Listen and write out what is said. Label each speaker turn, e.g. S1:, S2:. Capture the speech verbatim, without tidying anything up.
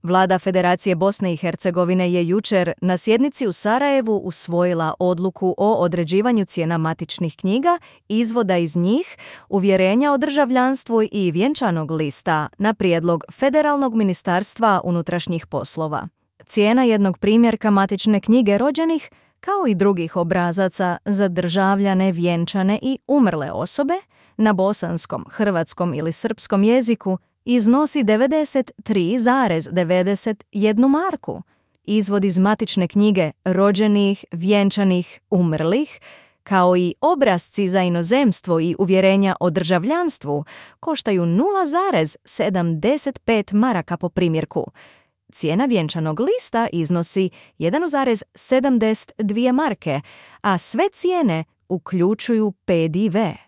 S1: Vlada Federacije Bosne i Hercegovine je jučer na sjednici u Sarajevu usvojila odluku o određivanju cijena matičnih knjiga, izvoda iz njih, uvjerenja o državljanstvu i vjenčanog lista na prijedlog Federalnog ministarstva unutrašnjih poslova. Cijena jednog primjerka matične knjige rođenih, kao i drugih obrazaca za državljane, vjenčane i umrle osobe, na bosanskom, hrvatskom ili srpskom jeziku iznosi devedeset tri zarez devedeset jedna marku. Izvod iz matične knjige rođenih, vjenčanih, umrlih, kao i obrasci za inozemstvo i uvjerenja o državljanstvu, koštaju nula zarez sedamdeset pet maraka po primjerku. Cijena vjenčanog lista iznosi jedan zarez sedamdeset dvije marke, a sve cijene uključuju P D V.